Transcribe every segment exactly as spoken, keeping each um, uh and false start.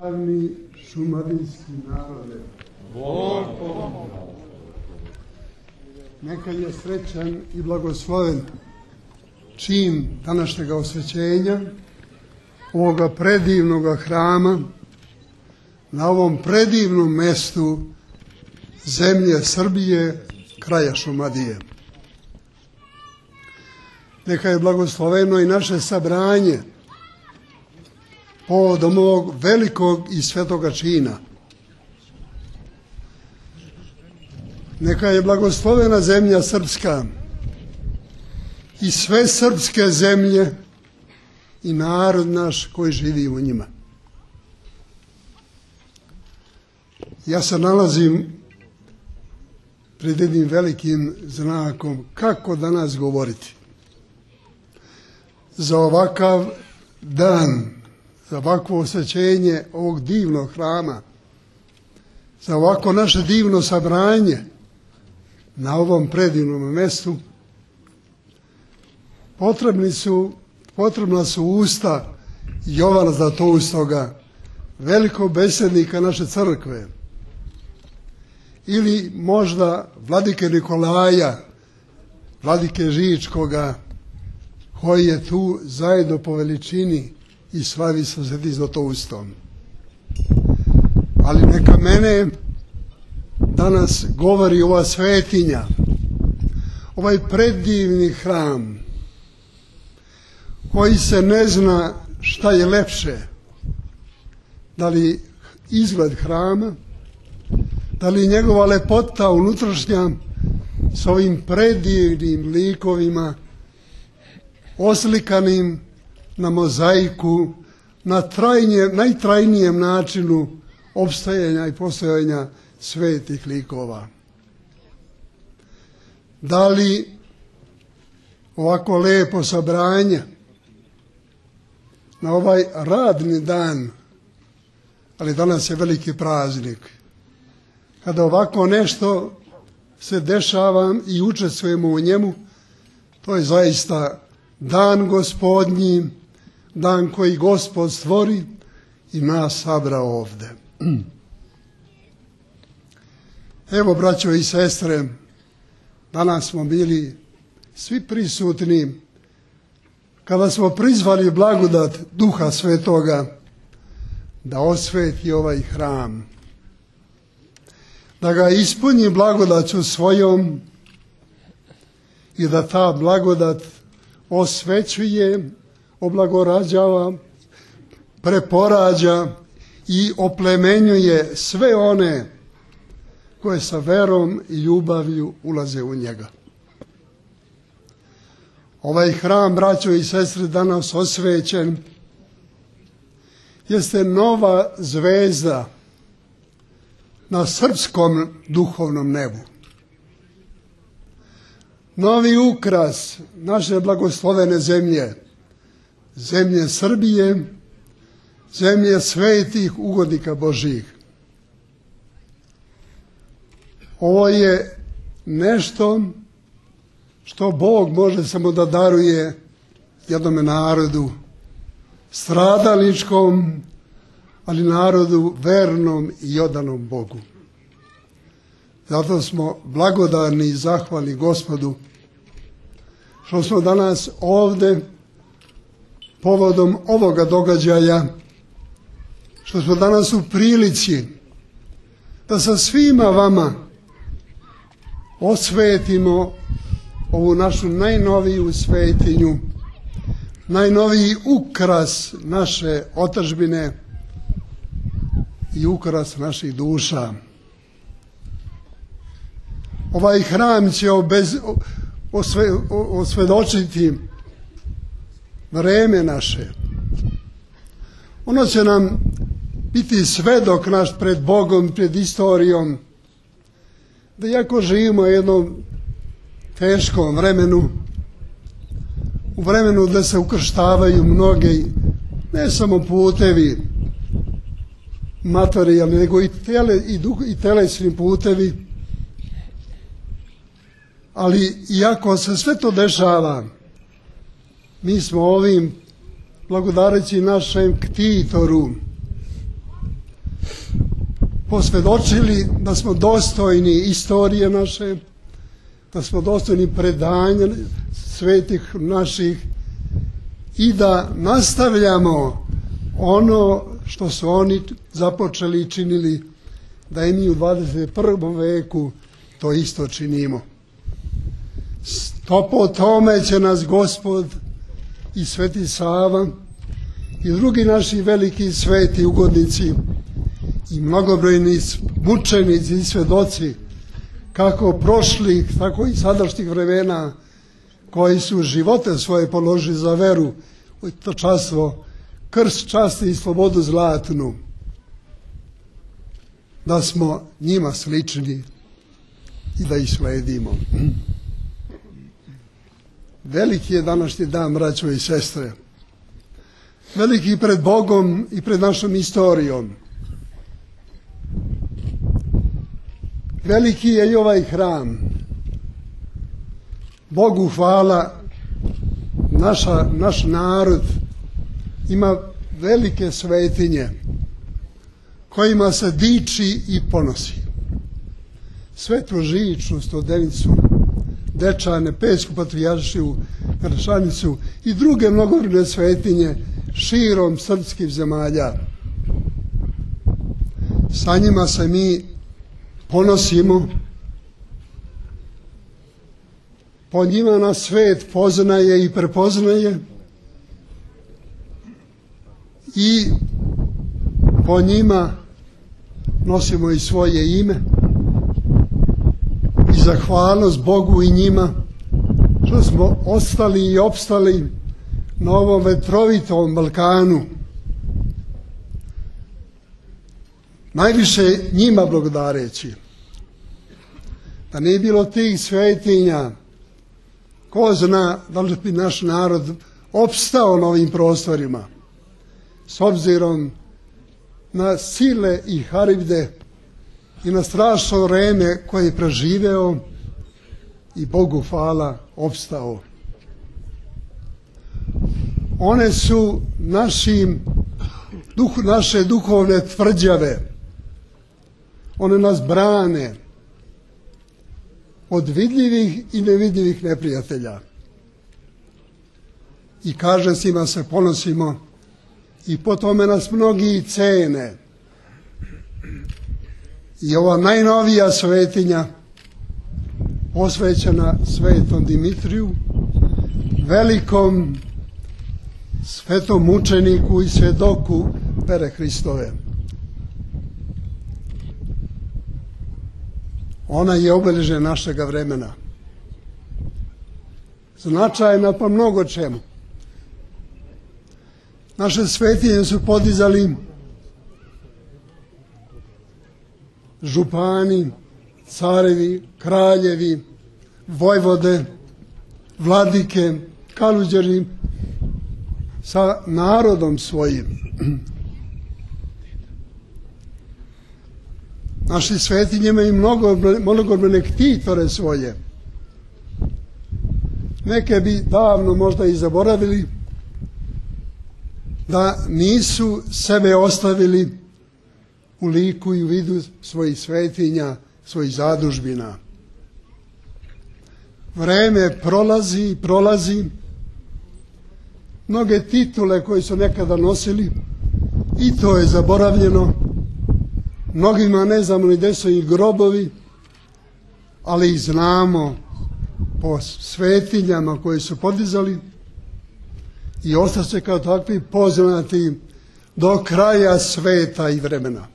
Slavni šumadijski narode, Bog pomože. neka je srećan i blagosloven čin današnjega osvećenja ovoga predivnog hrama na ovom predivnom mestu zemlje Srbije, kraja Šumadije. Neka je blagosloveno i naše sabranje povodom ovog velikog i svetoga čina. Neka je blagoslovena zemlja srpska i sve srpske zemlje i narod naš koji živi u njima. Ja se nalazim pred jednim velikim znakom kako danas govoriti. Za ovakav dan, za ovakvo osvećenje ovog divnog hrama, za ovako naše divno sabranje na ovom predivnom mestu, potrebni su, potrebna su usta Jovana Zlatoustoga, velikog besednika naše crkve, ili možda vladike Nikolaja, vladike Žičkoga, koji je tu zajedno po veličini i slavi sa Svetim Zlatoustom. Ali neka mene danas govori ova svetinja, ovaj predivni hram, koji se ne zna šta je lepše, da li izgled hrama, da li njegova lepota unutrašnja s ovim predivnim likovima oslikanim na mozaiku, na trajnije, najtrajnijem načinu opstajanja i postojanja svetih likova. Da li ovako lepo sabranje na ovaj radni dan, ali danas je veliki praznik, kada ovako nešto se dešava i učestvujemo u njemu, to je zaista dan Gospodnji, dan koji Gospod stvori i nas sabrao ovde. Evo, braćo i sestre, danas smo bili svi prisutni kada smo prizvali blagodat Duha Svetoga da osveti ovaj hram, da ga ispuni blagodaću svojom i da ta blagodat osvećuje, oblagorađava, preporađa i oplemenjuje sve one koje sa verom i ljubavlju ulaze u njega. Ovaj hram, braćo i sestre, danas osvećen, jeste nova zvezda na srpskom duhovnom nebu. Novi ukras naše blagoslovene zemlje, zemlje Srbije, zemlje svetih ugodnika Božjih. Ovo je nešto što Bog može samo da daruje jednom narodu stradalničkom, ali narodu vernom i odanom Bogu. Zato smo blagodarni i zahvalni Gospodu što smo danas ovde povodom ovoga događaja, što smo danas u prilici da sa svima vama osvetimo ovu našu najnoviju svetinju, najnoviji ukras naše otadžbine i ukras naših duša. Ovaj hram će obez, osve, osvedočiti vreme naše. Ono će nam biti svedok naš pred Bogom, pred istorijom, da iako živimo u jednom teškom vremenu, u vremenu da se ukrštavaju mnoge, ne samo putevi materijalni, nego i, tele, i, duh, i telesni putevi, ali iako se sve to dešava, mi smo ovim, blagodareći našem ktitoru, posvjedočili da smo dostojni istorije naše, da smo dostojni predanja svetih naših i da nastavljamo ono što su oni započeli i činili, da i mi u dvadeset prvom veku to isto činimo. To po tome će nas Gospod i Sveti Sava i drugi naši veliki sveti ugodnici i mnogobrojni mučenici i svedoci kako prošlih, tako i sadašnjih vremena, koji su živote svoje položili za veru u to častvo, krst časti i slobodu zlatnu, da smo njima slični i da ih sledimo. Veliki je današnji dan, braćo i sestre. Veliki pred Bogom i pred našom istorijom. Veliki je i ovaj hram. Bogu hvala, naša, naš narod ima velike svetinje kojima se diči i ponosi. Svetu Žiču, Stodenicu, Dečane, Pećku patrijaršiju, Gršanicu i druge mnogobrojne svetinje širom srpskih zemalja. Sa njima se mi ponosimo, po njima nas svet poznaje i prepoznaje i po njima nosimo i svoje ime i zahvalnost Bogu i njima što smo ostali i opstali na ovom vetrovitom Balkanu. Najviše njima blagodareći. Da nije bilo tih svetinja, ko zna da li bi naš narod opstao na ovim prostorima, s obzirom na sile i haribde i na strašno vreme koje je preživeo i Bogu hvala opstao. One su našim, duh, naše duhovne tvrđave. One nas brane od vidljivih i nevidljivih neprijatelja. I kaže, s njima se ponosimo i po tome nas mnogi cene. I ova najnovija svetinja posvećena Svetom Dimitriju, velikom svetom mučeniku i svjedoku vere Hristove. Ona je obilježje našega vremena. Značajna po mnogo čemu. Naše svetinje su podizali župani, carevi, kraljevi, vojvode, vladike, kaluđeri sa narodom svojim. Naši svetinje imaju mnogo, mnogobrojne ktitore svoje. Neke bi davno možda i zaboravili da nisu sebe ostavili u liku i u vidu svojih svetinja, svojih zadužbina. Vreme prolazi i prolazi. Mnoge titule koje su nekada nosili i to je zaboravljeno. Mnogima ne znamo ni gde su ih grobovi, ali ih znamo po svetinjama koje su podizali i ostaće kao takvi poznati do kraja sveta i vremena.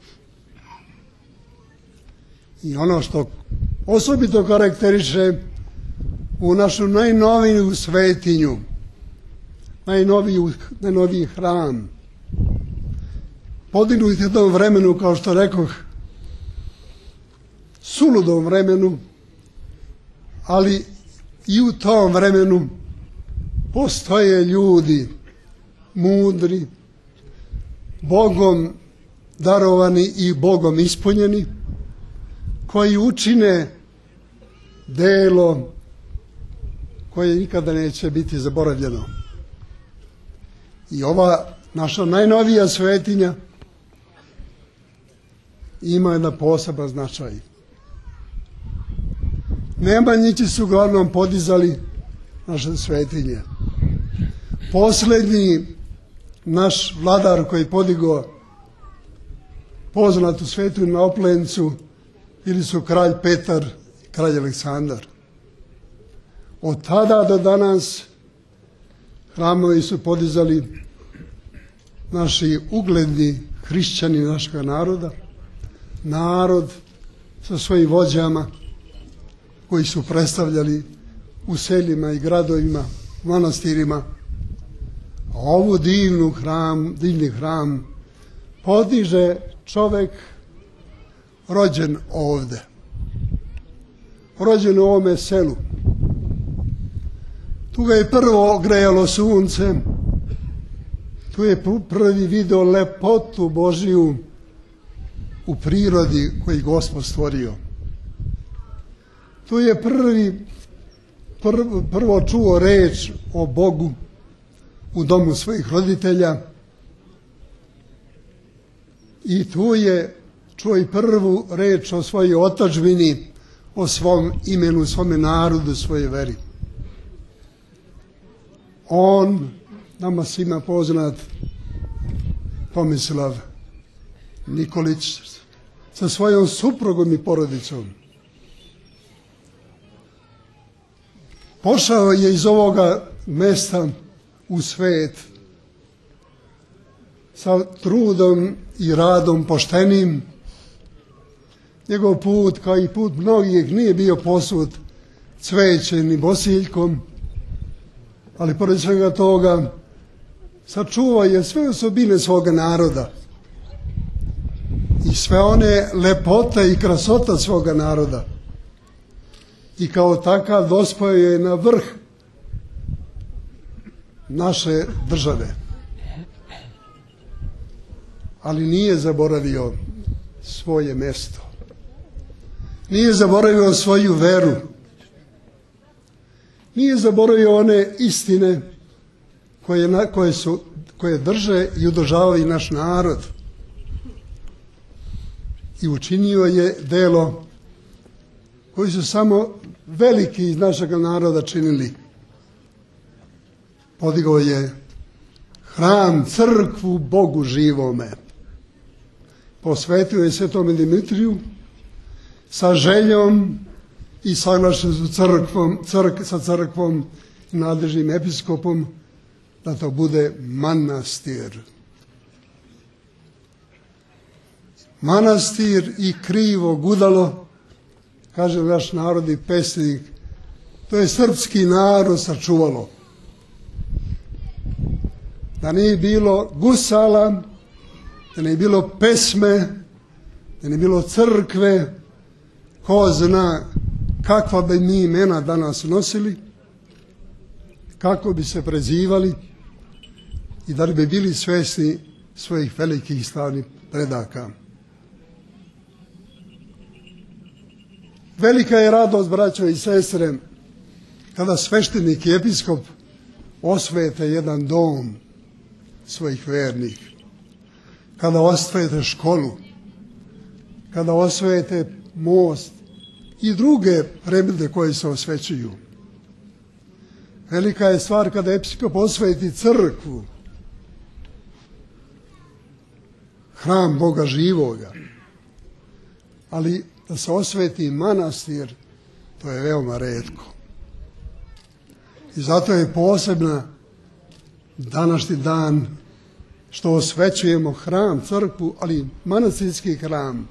I ono što osobito karakteriše u našu najnoviju svetinju, najnoviju, najnoviji hram, podignut u tom vremenu, kao što rekoh, suludom vremenu, ali i u tom vremenu postoje ljudi mudri, Bogom darovani i Bogom ispunjeni, koji učine delo koje nikada neće biti zaboravljeno. I ova naša najnovija svetinja ima jedan poseban značaj. Nemanjići su uglavnom podizali naše svetinje. Posljednji naš vladar koji je podigao poznatu svetinju na Oplencu bili su kralj Petar i kralj Aleksandar. Od tada do danas hramovi su podizali naši ugledni hrišćani našega naroda, narod sa svojim vođama koji su predstavljali u seljima i gradovima, manastirima. A ovu divnu hram, divni hram podiže čovjek rođen ovde, rođen u ovome selu. Tu ga je prvo grejalo sunce, tu je prvi video lepotu Božiju u prirodi koji Gospod stvorio. Tu je prvi, prvo, prvo čuo reč o Bogu u domu svojih roditelja i tu je čuo i prvu reč o svojoj otadžbini, o svom imenu, svome narodu, svojoj veri. On, nama svima poznat, Tomislav Nikolić, sa svojom suprugom i porodicom, pošao je iz ovoga mesta u svet sa trudom i radom poštenim. Njegov put, kao i put mnogih, nije bio posut cvećem ni bosiljkom, ali pored svega toga sačuvao je sve osobine svoga naroda i sve one lepote i krasota svoga naroda. I kao takav dospeo je na vrh naše države. Ali nije zaboravio svoje mjesto. Nije zaboravio svoju veru. Nije zaboravio one istine koje, koje, su, koje drže i održavaju naš narod. I učinio je delo koji su samo veliki iz našeg naroda činili. Podigao je hram, crkvu Bogu živome. Posvetio je Svetome Dimitriju sa željom i saglašen su crkvom, crk, sa crkvom i nadležnim episkopom da to bude manastir. Manastir i krivo gudalo, kaže naš narodni pesnik, to je srpski narod sačuvalo. Da nije bilo gusala, da nije bilo pesme, da nije bilo crkve, ko zna kakva bi mi imena danas nosili, kako bi se prezivali i da li bi bili svjesni svojih velikih slavnih predaka. Velika je radost, braćo i sestre, kada sveštenik i episkop osvete jedan dom svojih vernih, kada osvete školu, kada osvete most i druge predmete koje se osvećuju. Velika je stvar kada episkop osveti crkvu, hram Boga živoga, ali da se osveti manastir, to je veoma retko. I zato je posebna današnji dan što osvećujemo hram, crkvu, ali manastirski hram,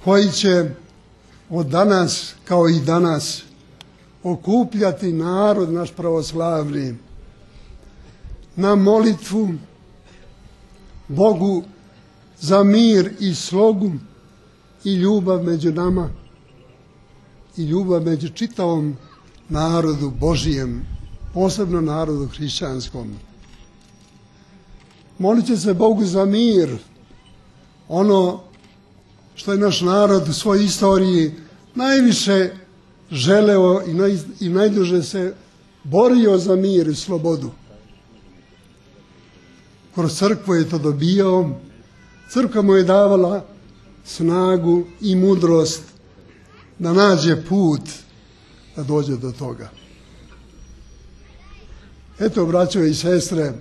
koji će od danas, kao i danas, okupljati narod naš pravoslavni na molitvu Bogu za mir i slogu i ljubav među nama i ljubav među čitavom narodu Božijem, posebno narodu hrišćanskom. Molit će se Bogu za mir, ono što je naš narod u svojoj istoriji najviše želeo i, naj, i najduže se borio za mir i slobodu. Kroz crkvu je to dobijao, crkva mu je davala snagu i mudrost da nađe put da dođe do toga. Eto, braćo i sestre,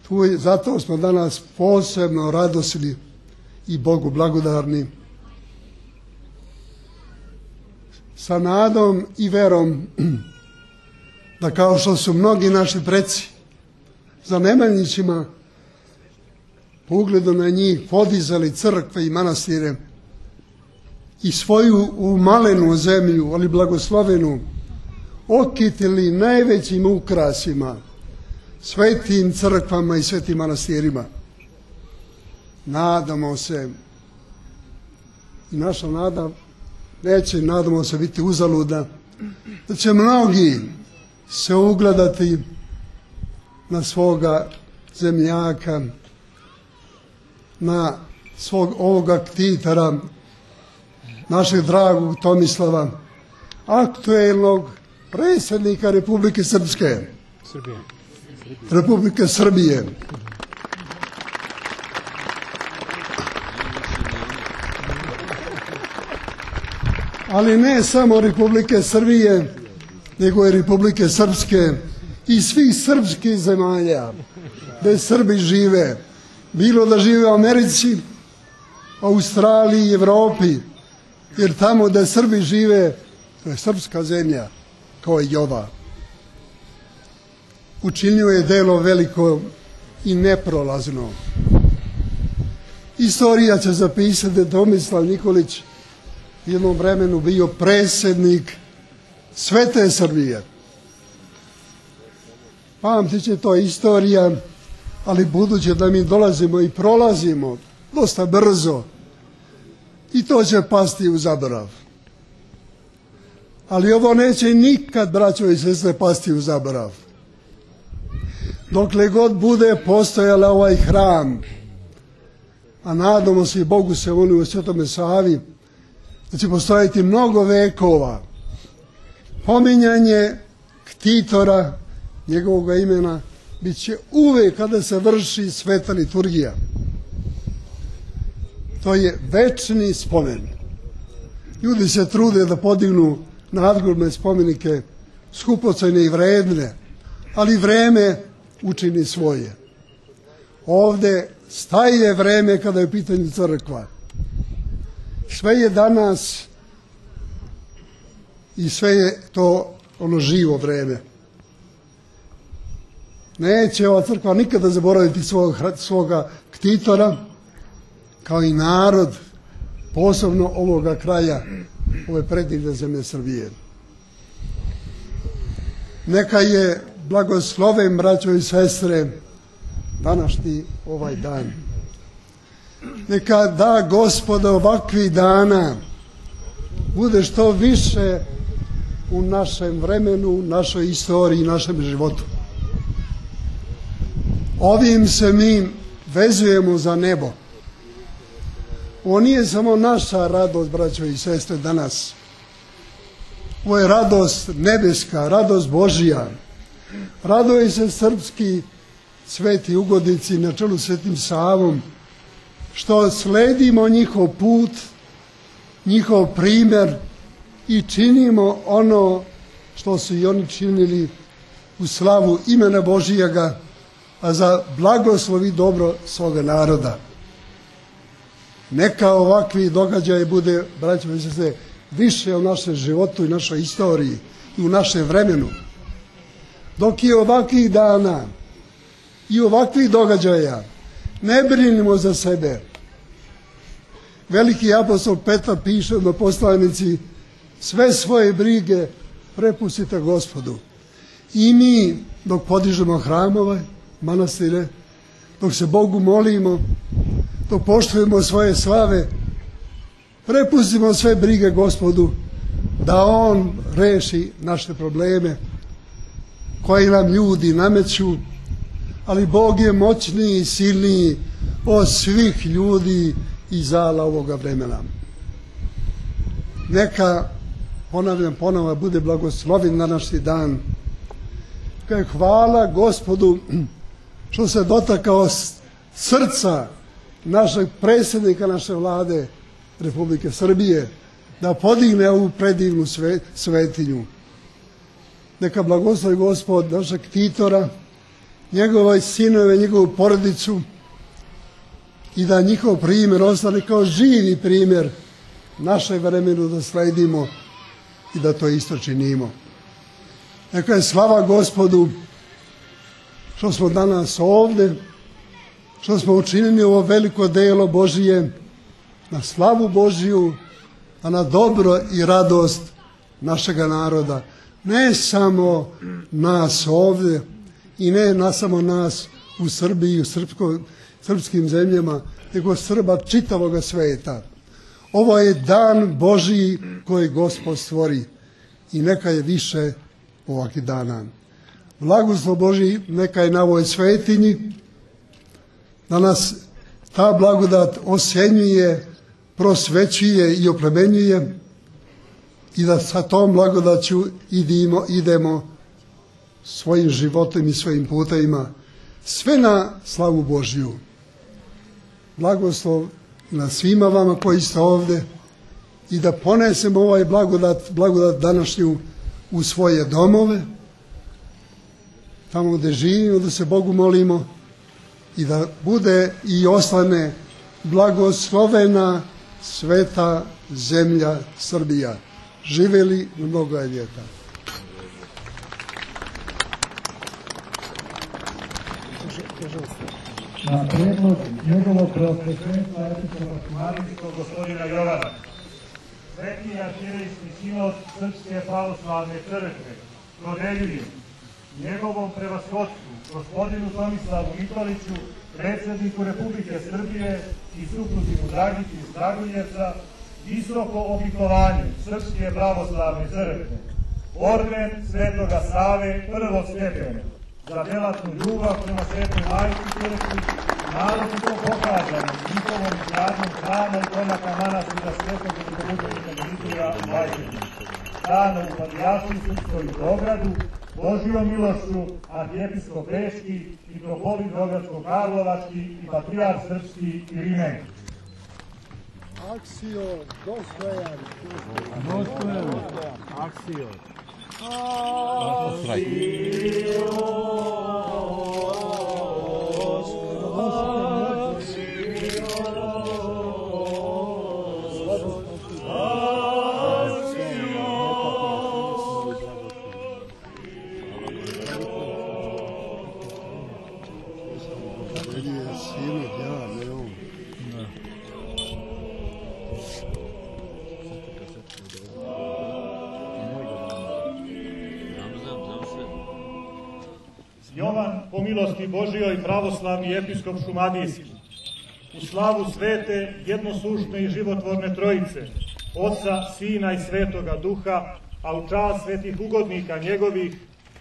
tu je, zato smo danas posebno radosni i Bogu blagodarni, sa nadom i verom da kao što su mnogi naši preci za nemanjićima po ugledu na njih podizali crkve i manastire i svoju umalenu zemlju, ali blagoslovenu, okitili najvećim ukrasima, svetim crkvama i svetim manastirima. Nadamo se, i naša nada neće, nadamo se, biti uzaludna, da će mnogi se ugledati na svoga zemljaka, na svog ovoga ktitora, našeg dragog Tomislava, aktuelnog predsjednika Republike Srpske, Srbije. Republike Srbije. Ali ne samo Republike Srbije, nego i Republike Srpske i svih srpskih zemalja gde Srbi žive, bilo da žive u Americi, Australiji i Evropi, jer tamo gde Srbi žive, to je srpska zemlja, kao i ova. Učinio je delo veliko i neprolazno. Istorija će zapisati da Tomislav Nikolić u jednom vremenu bio predsjednik svete Srbije. Pamtit će to istorija, ali budući da mi dolazimo i prolazimo dosta brzo, i to će pasti u zaborav. Ali ovo neće nikad, braćo i sestre, pasti u zaborav. Dokle god bude postojala ovaj hram, a nadamo se i Bogu se voli u Svetome Savi, da će postojati mnogo vekova, pominjanje ktitora, njegovog imena, bit će uvek kada se vrši sveta liturgija. To je večni spomen. Ljudi se trude da podignu nadgrobne spomenike, skupocene i vredne, ali vreme učini svoje. Ovde staje vreme kada je u pitanju crkva. Sve je danas i sve je to ono živo vreme. Neće ova crkva nikada zaboraviti svog, svoga ktitora, kao i narod, posebno ovoga kraja, ove predivne zemlje Srbije. Neka je blagosloven, braćo i sestre, današnji ovaj dan. Neka da Gospod ovakvih dana bude što više u našem vremenu, našoj istoriji, našem životu. Ovim se mi vezujemo za nebo. Ovo nije samo naša radost, braćo i sestre, danas. Ovo je radost nebeska, radost Božija. Raduje se srpski sveti ugodnici na čelu Svetim Savom, što sledimo njihov put, njihov primjer i činimo ono što su i oni činili u slavu imena Božijega, a za blagoslov i dobro svoga naroda. Neka ovakvi događaje bude, braćo i sestre, više u našem životu i našoj istoriji i u našem vremenu. Dok je ovakvih dana i ovakvih događaja, ne brinimo za sebe. Veliki apostol Petar piše na poslanici: sve svoje brige prepustite Gospodu. I mi, dok podižemo hramove, manastire, dok se Bogu molimo, dok poštujemo svoje slave, prepustimo sve brige Gospodu, da On reši naše probleme koje nam ljudi nameću, ali Bog je moćniji i silniji od svih ljudi i zala ovoga vremena. Neka, ponavljam ponovo, bude blagoslovin današnji dan. Hvala Gospodu što se dotakao srca našeg predsjednika naše vlade Republike Srbije da podigne ovu predivnu sve, svetinju. Neka blagoslovi Gospod našeg Titora, njegove sinove, njegovu porodicu i da njihov primjer ostane kao živi primjer našoj vremenu da sledimo i da to isto činimo. Neka je slava Gospodu što smo danas ovdje, što smo učinili ovo veliko delo Božije na slavu Božiju, a na dobro i radost našega naroda. Ne samo nas ovdje i ne na samo nas u Srbiji i u srpsko, srpskim zemljama, nego Srba čitavoga sveta. Ovo je dan Božiji koji Gospod stvori i neka je više ovakvih dana. Blagoslov Božji neka je na ovoj svetinji, da nas ta blagodat osjenjuje, prosvećuje i oplemenjuje i da sa tom blagodaću idemo, idemo svojim životom i svojim putevima, sve na slavu Božju. Blagoslov na svima vama koji ste ovdje i da ponesemo ovaj blagodat, blagodat današnju u svoje domove, tamo gdje živimo, da se Bogu molimo i da bude i ostane blagoslovena sveta zemlja Srbija. Živeli mnogo ljeta. Na prijedlog njegovog preosvećenstva episkopa šumadijskog gospodina Jovana, Sveti arhijerejski sinod Srpske pravoslavne crkve dodeljuje njegovom prevashodstvu gospodinu Tomislavu Nikoliću, predsjedniku Republike Srbije i supruzi mu Dragici iz Kragujevca, visoko odlikovanje Srpske pravoslavne crkve, orden Svetoga Save prvog stepena, za delatnu ljubav prema Svetoj Majci crkvi, naročito pokazano njihovom izgradnjom hrama i komaka manastira Svetog velikomučenika Dimitrija u Bajčetini, dana u Patrijaršiji Srpskoj u Beogradu, Božijom milošću arhijepiskop Bečki, mitropolit Beogradsko-Karlovački i patrijarh Srpski Irinej. Akcio, dostojan. Dostojan. Akcio. Jovan, po milosti Božijoj, pravoslavni episkop šumadijski, u slavu svete, jednosušne i životvorne trojice, Oca, Sina i Svetoga Duha, a u čast svetih ugodnika njegovih,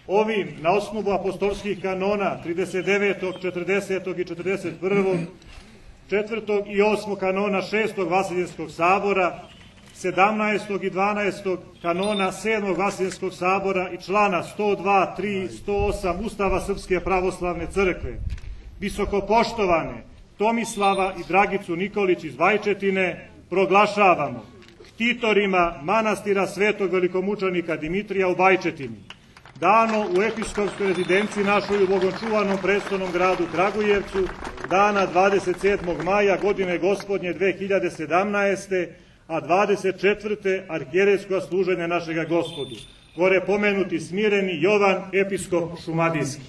ovim, na osnovu apostolskih kanona trideset devetog, četrdesetog i četrdeset prvog, četvrtog i osmog kanona šestog Vaseljenskog sabora, sedamnaestog i dvanaestog kanona sedmog Vaseljenskog sabora i člana sto dva, tri, sto osam Ustava Srpske pravoslavne crkve, visokopoštovane Tomislava i Dragicu Nikolić iz Bajčetine proglašavamo ktitorima manastira Svetog velikomučenika Dimitrija u Bajčetini, dano u episkopskoj rezidenciji našoj u bogočuvanom prestolnom gradu Kragujevcu, dana dvadeset sedmog maja godine gospodnje dve hiljade sedamnaeste. a dvadeset četvrte arhijerejsko služenje našega Gospodu. Gore pomenuti smireni Jovan, episkop šumadijski.